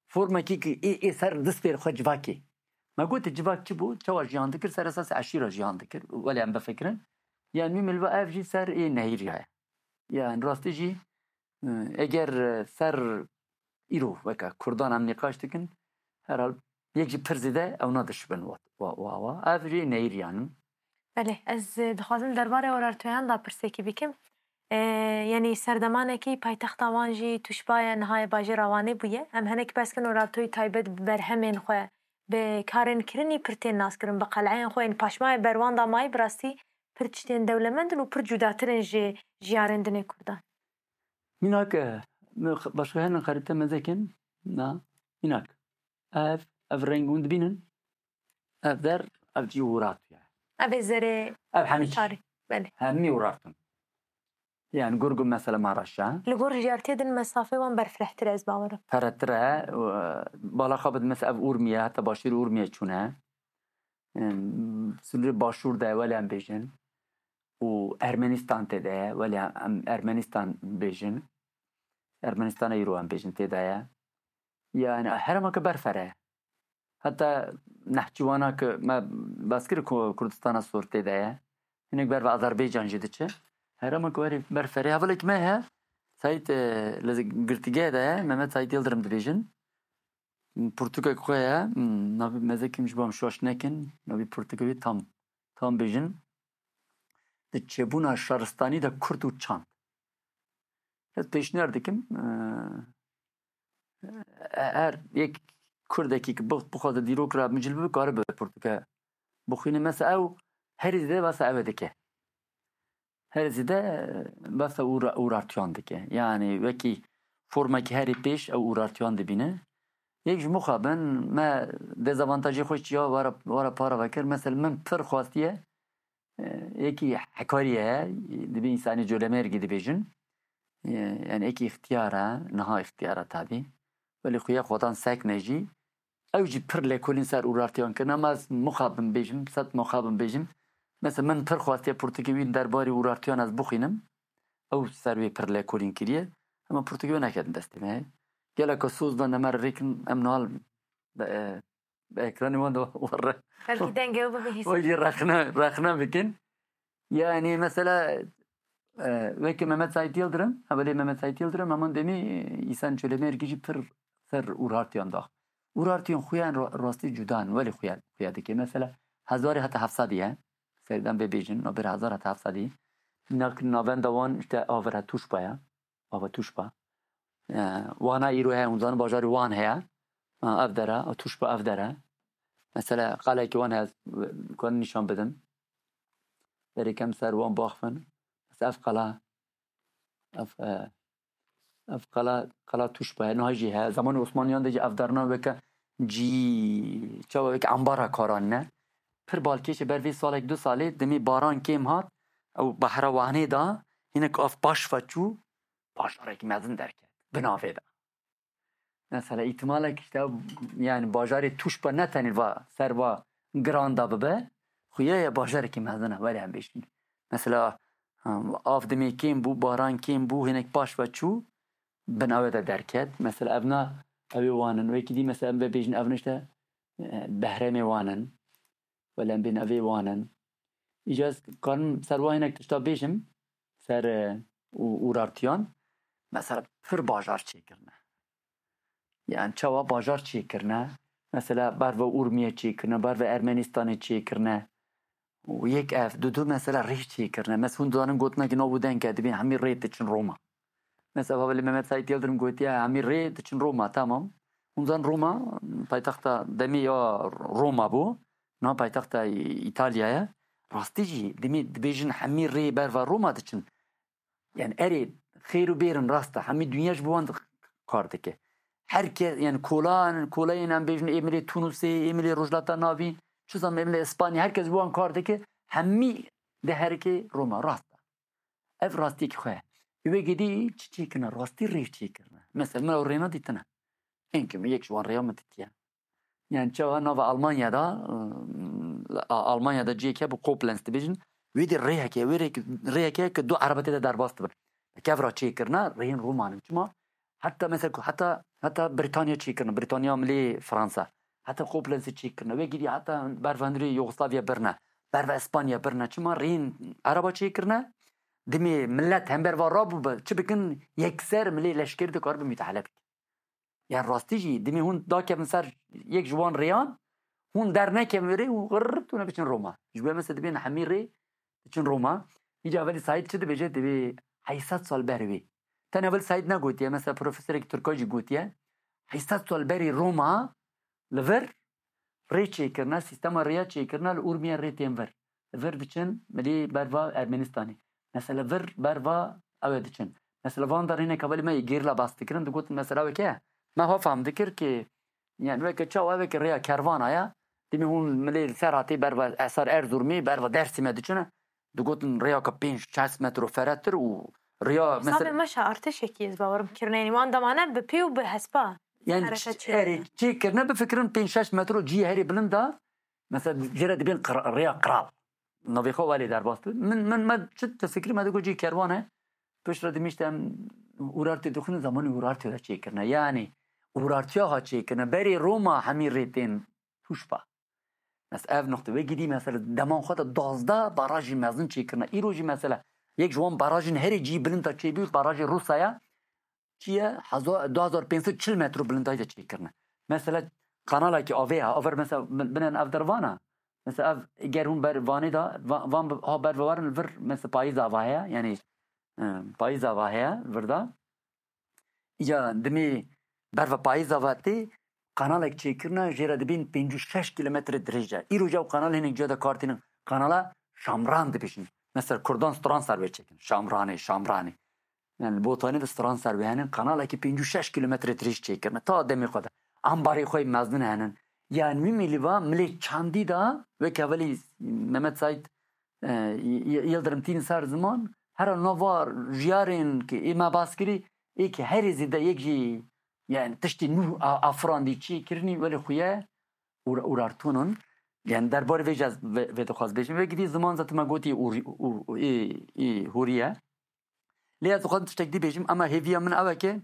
Formekî ki ê, ê ser distê xwe civakê. Me gote civak çi bû? Çawa jiyan dikir? Ser esasê eşîra jiyan dikir. Wele em bifikirin. Yani mîmil ve ev jî ser ê nehîriya ye. Yani rastî jî, e, eger, e, ser îro weke Kurdan em nîqaş dikin, herhal yek jî pir zêde ew nadişibin wa, wa, wa, wa. Ev jî nehîriyan in. Belê, ez, e, dixwazim derbarê Urartuyan da pirsekî bikim. E, yanî serdemanekî paytexta wan jî Tuşba ye, niha ye bajêra Wanê bûye. Em hinek behs kin Urartuyî taybet bi berhemên xwe, bi karên kirinî pir tên naskirin, bi qeleyên xwe yên paşmayê berwan da mayî bi rastî pir tiştên dewlemend in û pir cudatir in ji jiyarên dinê Kurdan. Mînak, e, min x-, başka henin xerîte mezekin, na, mînak. Ev, ev reng hûn dibînin. Ev der, ev cî Urartuya. Ev ê zerê Ev hemî çî. Tarî. Belê. Hemî Urartun. Yani gurgu mesela ma reşa. Li gor jiyartiyê din mesafê wan berfirehtir e, ez bawer im. Peretir e, e, bala xwe bid mesela ev Urmiye, heta başîr Urmiye çûne. Em, sınırê başûr de wele em bêjin. Û Ermenistan tê de ye, wele em Ermenistan bêjin. Ermenistana îro em bêjin tê de ye. Yani herema ke berfere. Heta Nehçîwana ke me bas kir ku Kurdistana Sor tê de ye. Hinek ber ve Azerbaycan jî diçe. Herema ku herî berfere. Hevalek me he, Saîd, e, li girtîgehe de ye, Mehmet Saîd Yildirim dibêjin. Pirtûkek xwe ye, hmm, navê mezekim ji bo em şaş nekin, navê pirtûkê wî tam, tam bêjin. Di çêbûna şaristanî de Kurd û çand. Ez pêşniyar dikim, e, e, her yek Kurdekî ki bix-, bixwaze dîrok re micil bibe, karibe pirtûke bixwîne. Mesela ew herî zêde behsa ew ê dike. Herî zêde, e, behsa Ura-, Urartuyan dike. Yani wekî formekî herî pêş ew Urartuyan dibîne. Yek ji mixabin me dezavantajê xwe çiya wara, wara para vekir. Mesela min pir xwestiye, e, yekî hekarî ye, dibê însanê colemêrgî dibêjin. E, yani yekî îxtiyar e, niha îxtiyar e tabî. Belê xuya xwedan sek ne jî. Ew jî pir lêkolîn ser Urartiyan kirin, ama ez mixabin bêjim, sed mixabin bêjim. Mesela min pir xwestiye pirtûkê wî derbarê Urartiyan ez bixwînim. Ew ser wê pir lêkolîn kiriye. Ama pirtûkê wê neketin destê me. Geleka soz da nemere rêkin em nal be, e, bi ekranê wan de warre. Belkî dengê ew bibe hîs. Wê jî rexne, rexne bikin. Yani mesela, e, weke Mehmet Said Yildirim, hevalê Mehmet Said Yildirim, heman demî, e, Îhsan Çölemêrgî jî pir ser Urartiyan da. Urartiyan xuyan ra-, rastî cuda in, welê xuya, xuya dike. Mesela hezarê heta heft sedî ye. Serdan bê bêjin, nabêr hezar heta heft sedî. Nak navenda wan işte Avira Tuşba ye. Ava Tuşba. E, Wana îro heye, hûn zanin bajarê Wan heye. Ha, ev dere, ev Tuşba ev dere. Mesela qalekî wan heye, ez, ku nîşan bidim. Berê kem ser wan baxfin. Mesela ev qala, ev, e, ev qala, qala Tuşba heye, niha jî heye. Zamanê Osmaniyan de jî ev derna weke cî, çawa weke ambara karan ne. Pir balkêş e, ber vê salek du salê, demê baran kêm hat, ew behra Wanê da, hinek av paş ve çû, bajarekî mezin derket. Bi navê de. Mesela îhtimalek işte, yani bajarê Tuşba ne tenê va, ser va giran da bibe, xuya ye bajarekî mezin e, were em bêjin. Mesela, ha, av demê kêm bû, baran kêm bû, hinek paş ve çû, bin ew de derket. Mesela evna, ew ê Wan in. Wekî dî mesela em ve bêjin evna işte, e, Behremê Wan in. Wele em bên evê Wan in. Îca ez karim ser wan hinek tişta bêjim, ser, e, û, Urartiyan. Mesela pir bajar çêkirine. Yani çawa bajar çêkirine? Mesela berve Urmiye çêkirine, berve Ermenistanê çêkirine. Û yek ev, du du mesela rê çêkirine. Mesela hûn dizanin gotinekî nav û deng e, dibên hemî rê diçin Roma. Mesela Hevalî Mehmet Saîd Yildirim gotiye, hemî rê diçin Roma, tamam. Hûn zanin Roma, paytexta demê ya Roma bû. Niha paytexta Îtalya ye. Rastî jî demê dibêjin hemî rê berva Roma diçin. Yani erê, xêr û bêrin rast e. Hemî dinya ji bo wan kar dike. Her kes, yani kolan, kolayên em bêjin ê milê Tunusê, ê milê Rojhilata Navîn, çi zam ê milê Îspanya, her kes ji bo wan kar dike. Hemî diherike Roma, rast e. Ev rastiyekî xwe ye. Wê gedî çi çêkirine? Rastî rê çêkirine. Mesela min ew rêna dîtine. Enkim yek ji wan rêya min dîtiye. Yani çawa nava Almanya da, ıı, A-, Almanya da cihê ke bi Koblenz dibêjin, wê dî rêyeke, wê rêk-, rêyeke ke du erebe tê de derbas dibin. Kevra çêkirine rêyên Roman in. Çima? Heta mesela ku heta, heta Britanya çêkirine, Britanya milê Fransa. Heta Koblenzê çêkirine. Wê gidî heta berva hundirê Yugoslavya birine. Berva Espanya birine. Çima rêyên ereba çêkirine? Dimê millet hember va rabûbe, çi bikin, yekser milê leşkerî dikaribin müdahale bikin. Yani rastî jî dimê hûn dakevin ser yek ji wan rêyan, hûn dernekevin wê rê û xirr tûne biçin Roma. Ji bo mesela dibên hemî rê diçin Roma. Îca Hevalî Saîd çi dibêje? Dibê heyşt sed sal berê wê. Tenê Hevalî Saîd negotiye, mesela profesorek Tirka jî gotiye. Heyşt sed sal berê Roma li vir rê çêkirine, sîstema rêya çêkirine li Urmiye rê tên vir. Li vir diçin milî berva Ermenistanê. Mesela vir berva ew ê diçin. Mesela van der hinek hevalî me yê gerîla bas dikirin, digotin mesela weke me ha fam dikir ki, yani weke çawa weke rêya kervana ya, dimê hûn milê li ser hatê berva Esar Erzurumê, berva Dersimê diçine, digotin rêya ke pênc şeş metro feretir û rêya mesela. Hesabê meşa artêşekî ez bawerim kirine, yani wan demane bi pê û bi hespa. Yani erê çêkirine bifikirin pênc şeş metro cihê herê bilind da, mesela jê re dibên qira-, rêya qral. Navê xwe welê derbas dibin. Min, min, me çi te fikirî me digot cî kerwan e. Piştre dimîşte em Urartê dixwînin, zamanî Urartê re çêkirine. Yani Urartiya ha çêkirine. Berê Roma hemî rê tên tûşba. Mes ev noqte wê gidî mesela deman xwe de duwazdeh barajî mezin çêkirine. Îro jî mesela yek ji wan barajên herê cî bilind ta çêbû, barajê Rûsaya. Çi ye? Heza-, du hezar pênc sed çil metro bilindayî de çêkirine. Mesela kanalekî avê ya, aver mesela bin-, binen ev dervana. Mesela ev ger hûn ber Vanê de, va-, van bi-, ha ber vewarin li vir mesela payîza va heye, yani, e, payîza va heye vir de. Îca dimê ber ve payîza va tê, kanalek çêkirine, jê re dibên pêncî û şeş kilometre dirêj e. Îro ew kanal hinek ciya de kar tînin. Kanala Şamran dibêjin. Mesela Kurdan stran ser wê çêkin. Şamranê, Şamranê. Yani li Botanê de stran ser wê henin, kanalekî pêncî û şeş kilometre dirêj çêkirine. Ta demê xwe de. Ambarê xwe yê mezin henin. Yani wî milî va milê çandî da, wek hevalî Mehmet Saîd, e, Y-, Y-, Yildirim tînin ser ziman, hera nava jiyarên ki ê me bas kirî, ê ki herê zêde yek jî, yani tiştê nû a-, afirandî çêkirinî, welê xuye ûr-, Urartûn in. Yani derbarê vê jî ez vê, vê dixwaz bêjim. Vê gidî ziman zaten me gotî ûr-, û, û, ê, ê hûrî ye. Lê ez dixwazim tiştek dî bêjim, ama hêviya min ew e ke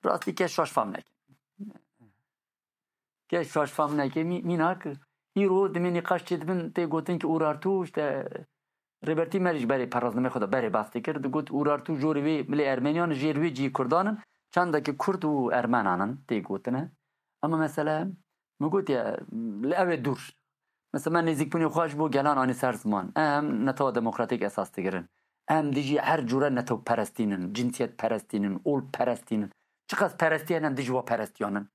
rastî kes şaş fam neke. Kes şaş fam neke. Mî-, mînak îro dimê nîqaş çêdibin tê gotin ki Urartû, işte, Rêbertî me jî berê perazdimê xwe de berê bas dikir. Digot Urartû jorê wê milê Ermeniyan, jêr wê cî Kurdan in, çandekî Kurd û Ermenan in tê gotine. Ama mesele min gotiye, li ew ê dûr. Mesela me nêzîkbûnê xwe ji bo gelan anî ser ziman. Em netewa demokratîk esas digirin. Em dijî her cûre netewperestî nin, cinsiyetperestî nin, olperestî nin. Çiqas perestî hene em dijî wa perestiyan in.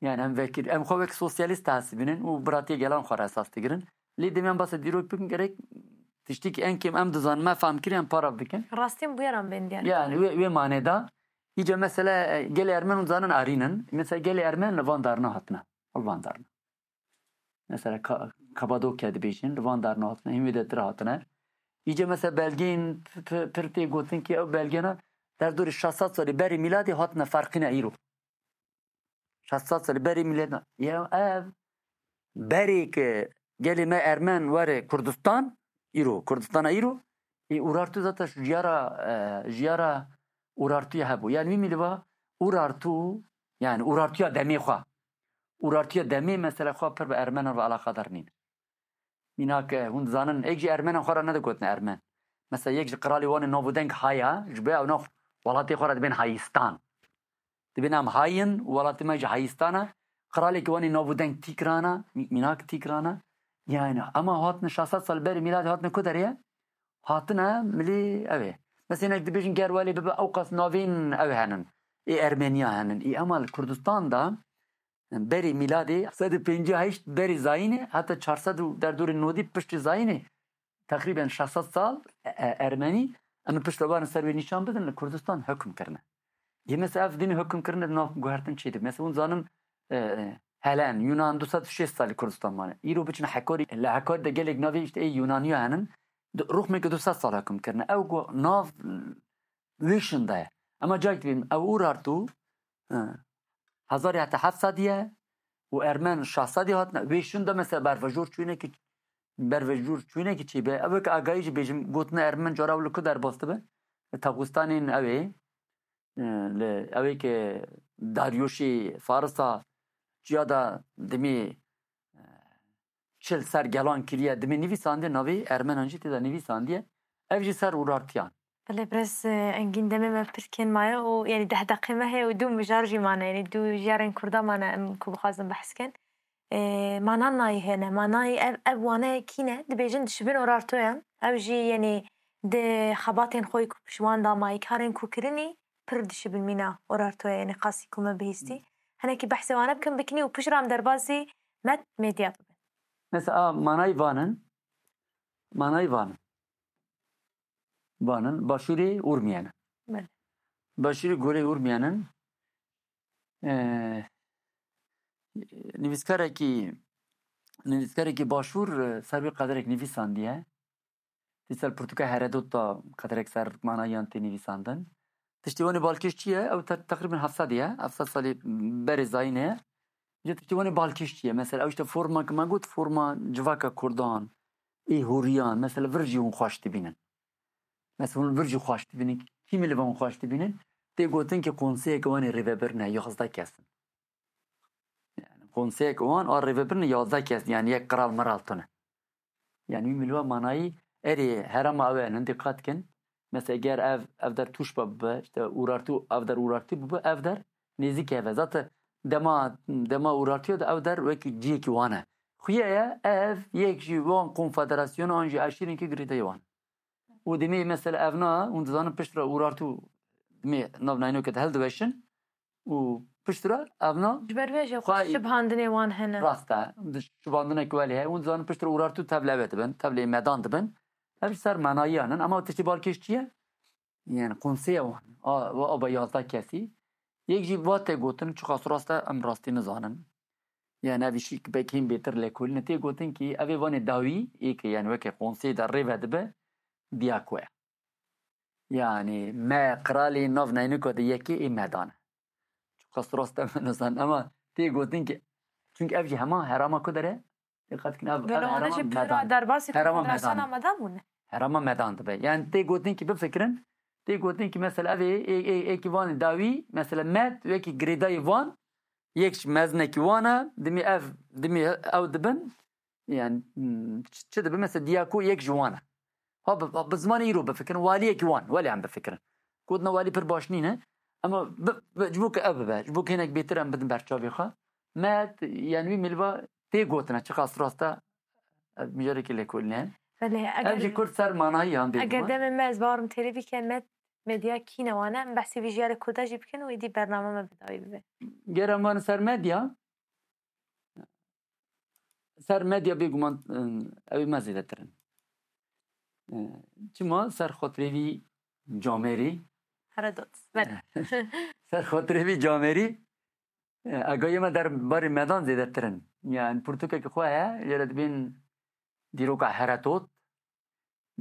Yani em vekir, em xwe wek sosyalîst dihesibînin û biratiyê gelan xwe re esas digirin. Lê demê em basa dîrok bikin gerek tiştî ki en kêm em dizanin, me fam kiriye em para bikin. Rastîn bûyeran bên diyar. Yani wê, wê manê de. Îca mesele, e, gelê Ermen hûn zanin arîn in. Mesela gelê Ermen li van darna hatine. Li van darna. Mesela Ka-, Kapadokya dibêjin, li van darna hatine, hîn wê de tira hatine. Îca mesela belgeyên p-, p-, pir tê gotin ki ew belgena derdorê şeş sed salî berî mîladê hatine ferqîne îro. Şeş sed salî berî mîladê. Ya ev berê ki gelê me Ermen were Kurdistan, îro, Kurdistana îro, ê Urartu zaten jiyara, e, jiyara Urartuya hebû. Yani wî mîliva Urartu, yani Urartuya demê xwe. Urartuya demê mesela xwe pir bi Ermenan ve alaqadar nîn. Mînak, e, hûn dizanin, êk jî Ermenan xwe re nedigotin Ermen. Mesela yek ji qiralê wan ê nav û deng haya, ji bo ew nav Welatê xwe re dibên hayistan. Dibên em hayin, welatê me jî hayistan e. Qiralekî wan ê nav û deng tîkrana, mî-, mînak tîkrana. Yani, ema hatine şeş sed sal berî mîladê hatine ku derê ye? Hatine milî ew ê. Mesela hinek dibêjin ger welê bibe ew qas navên ew henin. Ê Ermeniya henin. Ê ema li Kurdistan de berî mîladê sed û pêncî heşt berî zayînê heta çar sed û derdorê nodî piştî zayînê teqrîben şeş sed sal e, e, Ermenî em ê piştre barin ser wê nîşan bidin li Kurdistan hukm kirine. Yê mesela ev dînê hukm kirine di nav guhertin çê dibe. Mesela hûn zanin e, e, Helen, Yunan du sed û şêst salî Kurdistan mane. Îro biçin Hekorî, li Hekorî de gelek navê işte ê Yunaniya henin. Du- Ruxmeke du sed sal hukm kirine. Ew ku nav wê şinda ye. Ema cayek dibîn ew Urartu, e, hezar heta heft sedî ye û Ermen şeş sedî hatine. Wê şinda mesela bervejor çûyinekî, bervejor çûyinekî çêbe. Ew weke agayî jî bêjim, gotine Ermen cara ew li ku derbas dibe? Li Taxistanên ew ê, e, li ew ê ke Daryuşê Farisa çiya da dimê, e, çil ser gelan kiriye, dimê nivîsandiye, navê Ermenan jî tê de nivîsandiye. Ev jî ser Urartiyan. Belê, birêz, e, Engîn, demê me pir kêm maye û, yanî, deh deqê me heye û du mijar jî mane, yanî, du jiyarên Kurda mane em ku bixwazin behs kin. E, mana nayê hene, manayê ev, ev wane kî ne? Dibêjin dişibin Urartoyan. Ew jî, yanî, di xebatên xwe ku piştwan da mayî, karên ku kirinî pir dişibin mîna Urartoya, yanî, qasî ku me bihîstî. Hinekî behsê wane bikin, bikinî û pişt re em derbasî Med Medya bibin. Mesela, a, manayî vanin, manayî vanin. Vanin, başûrê Urmiyenin. Belê. Başûrê gorê Urmiyenin, e, nivîskarekî, nivîskarekî başûr, e, ser wê qederek nivîsandiye. Dîsa li pirtûka Heredot da qederek ser manayiyan tê nivîsandin. Tiştê wanê balkêş çi ye? Ew te-, teqrîben heft sed ye. Heft sed salî berê zayînê ye. Ji tiştê wanê balkêş çi ye? Mesela ew işte forma ki me got, forma civaka Kurdan, ê hûriyan. Mesela vir jî hûn xweş dibînin. Mesela hûn vir jî xweş dibînin. Kîmî li van xweş dibînin? Tê gotin ki konseyeke wanê rêvebir ne, yazdeh kes in. Yani konseyek wan a rêvebirine yazdeh kes, yani yek qral miral tune. Yani wî milwa manayî erê herema ew e, hindê qat kin. Mesela ger ev, ev der tûşba bibe, işte Urartu, ev der Urartu bibe, ev der nêzîk eve. Zaten dema, dema Urartiya de ev der wekî ciyekî wan e. Xuye ye, ev yek ji wan konfederasyona an jî eşîrên ki girêdayî wan. Û demê mesela ev na, hûn dizanin pişt re Urartu demê nav naynoke de hildiweşin. û piştre evna Ji ber vê jî xwe xwe şibhandinê wan hene. Rast e. Di şibhandinek welê heye. Hûn dizanin piştre Urartu tevlê wê dibin, tevlê medan dibin. Ev ser menayiyan in. Ama tiştê balkêş çi ye? Yani konseya wan. A, a, aba yazdeh kesî. Yek jî va tê gotin, çiqas rast e, em rastî nizanin. Yani ev îşî ki belkî hîn bêtir lêkolîne. Tê gotin ki ev ê vanê dawî, ê ki yani weke konseyê de rê ve dibe, Diyako ye. Yani me qiralê nav neynika de yekê ê medan e. Çiqas rast e min nizan, ama tê gotin ki, çünkü ev jî hema herama ku dere, diqet kin ev, ev Gelo wana herama jî pira medan. Derbasî Herama konfederasyona medan. Medan bûne. Herama medan dibe. Yani tê gotin ki bifikirin, tê gotin ki mesela ev ê, ê, ê, ê ki van dawî, mesela med, wekî girêdayî van, yek ji mezinekî wan e, dimî ev, dimî ew dibin, Yani, hmm, çi, çi dibe? Mesela Diyako yek ji wan e. Ha, bi, bi zimanê îro bifikirin, waliyekî wan, welê em bifikirin. Gotina walî pir baş nîne. Ama bi, bi, ji bo ku ev bibe, ji bo ku hinek bêtir em bidin berçavê xwe. Me, yani wî milva tê gotina, çiqas rast e, ev mijarekî lêkolîne. Belê, ev eger, jî kurt ser manayî yan bê eger demê me ez barim têrê bike me medya kîne wane, em behsê vî jiyarê Kurda jî bikin û êdî bername me bi dawî bibe. Ger em van ser medya, ser medya bêguman, ew ê me zêdetir in. Çima ser xatirê vî camêrî? Heredot. Belê. Ser xatirê vî camêrî, agayê me der barê medan zêdetir in. Yani pirtûkeke xwe heye, jê re dibên dîroka Heredot.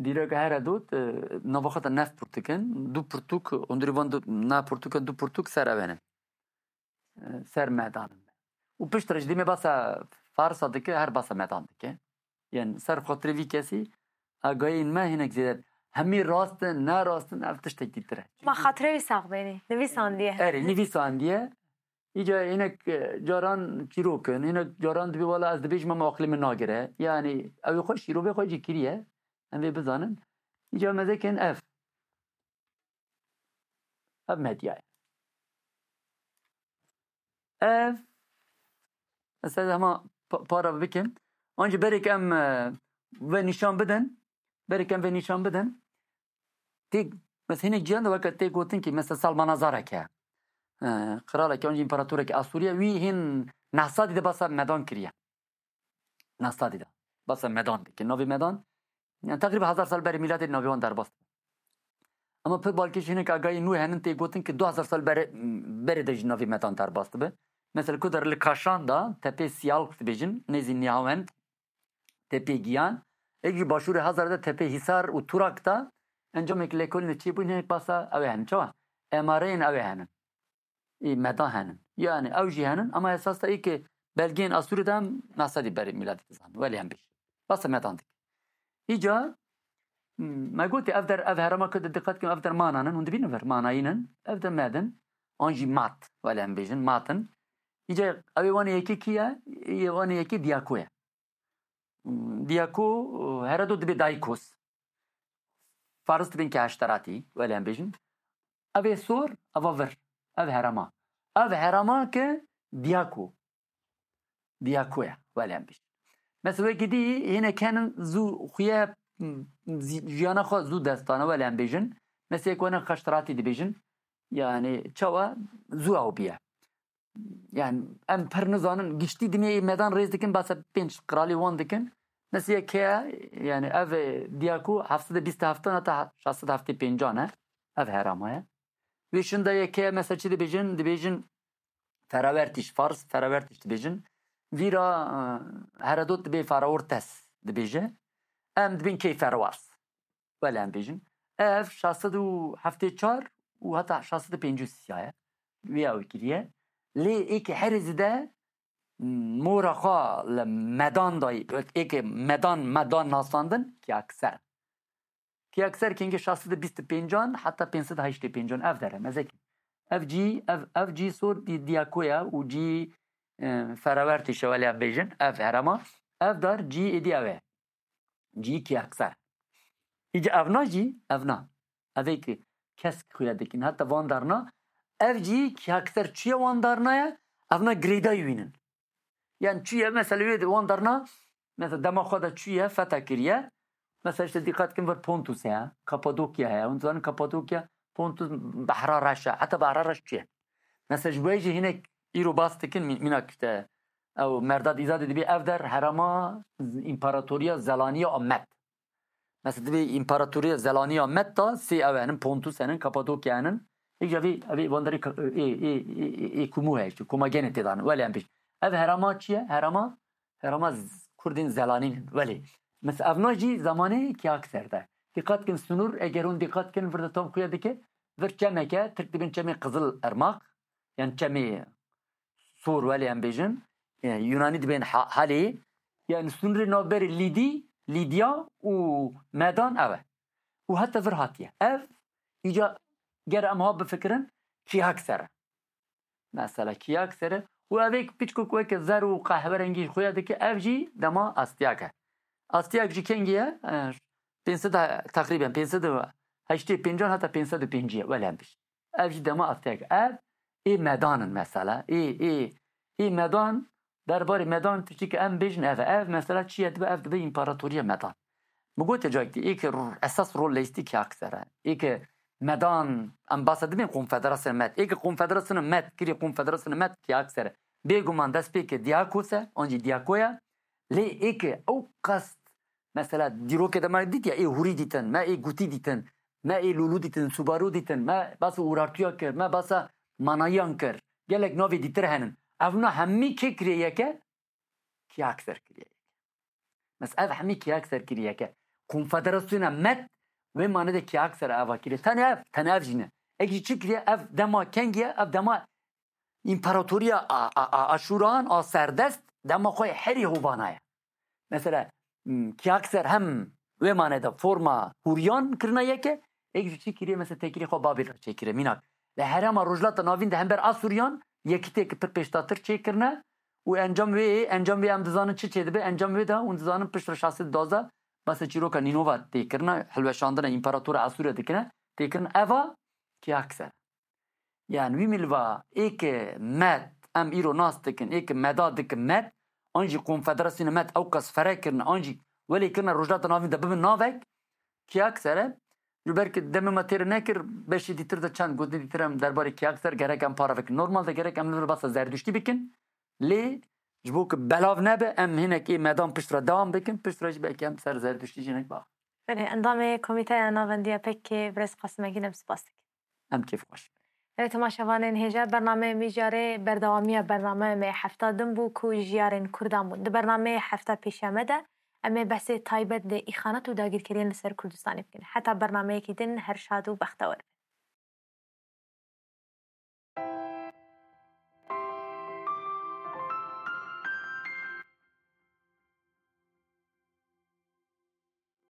Dîroka Heredot, e, nava xwe de neft pirtûk in. Du pirtûk, hundirî van du, na pirtûk in, du pirtûk ser ev in. E, ser medan in. Û piştre ji dîmê basa Farisa dike, her basa medan dike. Yani ser xatirê vî kesî agayên me hinek zêde. Hemî rast in, ne rast in, ev tiştek dîtir e. Ma xatirê wî sax benî. Nivîsandiye. Erê, nivîsandiye. Îca hinek, e, caran çîrok in, hinek caran dibê wela ez dibêjim ama aqilê min nagire. Yani ew ê xwe şîrovê xwe jî kiriye. Em vê bizanin. Îca mezekin ev. Ev medya ye. Ev, ez hema pa-, para bikim. Ancî berek em, e, ve nîşan bidin, berek em ve nîşan bidin. Tê, mes hinek ciyan de weke tê gotin ki, mesela Salmanazarek e. E, qiralek, ancî împaratorek Asûriye, wî hin neh sedî de basa medan kiriye. Neh sedî de. Basa medan dike. Navê medan, yani teqrîben hezar sal berê mîladê navê wan derbas dibe. Ama pir balkêş hinek agayî nû henin tê gotin ki du hezar sal berê, berê de jî navê medan derbas dibe. Mesela ku der li Kaşan da, tepê Siyalk dibêjin, nêzî Nihawend, tepê Giyan, êk ji başûrê Hazar de tepê Hîsar û Turak da, encamêk lêkolînê çêbûyî hinek basa ew ê henin. Çawa? Emareyên ew ê henin. Ê medan henin. Yani ew jî henin, ama esas de ê ke belgeyên Asûrî de em neh sedî berê mîladî dizanin. Welê em bêjin. Basa medan dike. Îca, hmm, me gotê ev der, ev herema ku diqet kin, ev der manan in, hûn dibînin vir, manayîn in, ev der medin, an jî mat, welê em bêjin, mat in. Îca ew ê wanê yekê kî ye? Ê wanê yekê Diyako ye. Diyako, Herodot dibê Daykos. Faris dibên ke heşteratî, welê em bêjin. Ev ê sor, eva vir. Ev herema. Ev herema ke Diyako. Diyako ye, welê em bêjin. Mesela wekî dî, hinek henin zû xuye, m, zî-, jiyana xwe zû dest dane, welê em bêjin. Mesela yek wene heşteratî dibêjin. Yani çawa zû ew biye. Yani em pir nizanin, giştî dimê medan rêz dikin, basa pênc qiralê wan dikin. Mesela yek heye, yani ev, e, Diyako heft sed û bîst û heft heta şeş sed û heftê pênc e, ev herama ye. Wê şinda yek heye, mesela çi dibêjin? Dibêjin Ferawertîş, Fars Ferawertîş dibêjin. Vîra, e, Herodot dibê Feraortes dibêje. Em dibên key Ferwars. Welê em bêjin. Ev şeş sed û heftê çar û heta şeş sed û pêncî û sê ye. Wê ew kiriye. Lê êkê herê zêde mora xwe li medan dayî, êkê medan, medan nasandin, Kiyakser. Kiyakser kengê şeş sed û bîst û pêncan heta pênc sed û heştê pêncan ev dere, mezekî. Ev cî, ev, ev cî sor dî-, Diyako ye û cî, e, Ferawertîş e, welê em bêjin, ev herema. Ev dar cî êdî ew e. Cî Kiyakser. Îca evna jî, evna. Ev ê ki kesk xuya dikin. Heta van darna. Ev cî Kiyakser çûye wan darna ye. Evna girêdayî wînin. Yani çûye mesela wê de wan darna. Mesela dema xwe de çûye, fetha kiriye. Mesela işte dîqet kin vir Pontus heye. Kapadokya heye. Hûn zanin Kapadokya, Pontus behra reş e. Heta behra reş çûye. Mesela ji bo jî hinek îro bas dikin mî-, mînak işte ew Merdad Îzadê dibê ev der herema z-, împaratoriya Zelaniya a Med. Mesela dibê împaratoriya Zelaniya Med da sê ew henin, Pontus henin, Kapadokya henin. Êk jî evê, evê van derê ka-, ê, ê, ê, ê, ê Kumû heye işte, Komagenê tê dan. Welê em bêjin. Ev herema çi ye? Herema, herema z-, Kurdên Zelanî ne. Welê. Mesela evna jî zamanê Kiyakser de. Dîqet kin sinûr, eger hûn dîqet kin vir de tam xuya dike, vir çemek e, Tirk dibên çemê Qizil Irmaq. Yani çemê sor welê em bêjin, e, Yunanî dibên ha-, halê, yani sînorê navberê Lîdî, Lîdya û Medan ev e. Û heta vir hatiye. Ev, îca ger em ha bifikirin, Kiyakser e. Mesela Kiyakser e. Û ev ê piçkok weke zer û qehwerengî xuya dike, ev jî dema Astiyak e. Astiyak jî kengî ye? E, pênc sed, teqrîben pênc sed û heştê pêncan heta pênc sed û pêncî ye, welê em bêjin. Ev jî dema Astiyak. Ev ê Medan in mesela. Ê, ê, ê Medan, derbarê Medan tiştî ki em bêjin ev e. Ev mesela çi ye dibe? Ev dibe împaratoriya Medan. Min gote cayekî, ê ki r-, esas rol leyîstî Kiyakser e. Ê ki Medan, em basa dibên Konfederasyona Med. Ê ki Konfederasyona Med, kirê Konfederasyona Med Kiyakser e. Bêguman destpêkê Diyakos e, an jî Diyako ye. Lê ê ki ew qas Mesela dîrokê de me dît ya, ê hûrî dîtin, me ê gûtî dîtin, me ê lûlû dîtin, subaru dîtin, me basa urartuya kir, me basa manayiyan kir. Gelek navê dîtir henin. Evna hemî kê kiriye yeke? Kiyakser kiriye yeke. Mesela ev hemî Kiyakser kiriye yeke. Konfederasyona Med wê mane de Kiyakser eva kiriye. Tenê ev, tenê ev jî ne. Êk jî çi kiriye? Ev dema kengî ye, ev dema împaratoriya a, a, a, Aşûran a serdest dema xwe herî hovana ye. Mesela, m, Kiyakser hem wê mane de forma hûriyan kirina yeke, êk jî çi kiriye, mesela têkilî xwe Babîl re çêkiriye. Mînak, li herêma Rojhilata Navîn de hember Asûriyan yekîtiyeke pir pêşdatir çêkirine û encam wê, encam wê em dizanin çi çêdibe, encam wê de hûn dizanin piştre şeş sed û duwazdeh basa çîroka Nînova têkirine, hilweşandina împaratora Asûriya dikine, têkirin eva Kiyakser. Yani wî milva ê ke med, em îro nas dikin, ê ke meda dikin med, an jî Konfederasyona med ew qas fere kirine, an jî welê kirine Rojhilata Navîn de bibin navek, Kiyakser e. Ji ber ku demê me têr nekir, beşê dîtir de çend gotin dîtir em derbarê Kiyakser gerek em para vekin. Normal de gerek em li vir basa Zerduştî bikin. Lê ji bo ku belav nebe, em hinek ê medan pişt re dewam bikin, pişt re jî belkî em ser Zerduştî jî hinek bax. Belê, endamê Komîteya Navendiya P K K, birêz Qasim Engîn, em spas dikin. Em kêfxweş. Belê, temaşevanên hêja, bernameyê Mijyarê berdewamiya bernameya me hefta din bû ku jiyarên Kurdan bûn. Di bernameyê hefta pêşiya me de em ê behsê taybet lê îxanet û dagirkeriyên li ser Kurdistanê bikin. Heta bernameyekî din her şad û bextewer bin.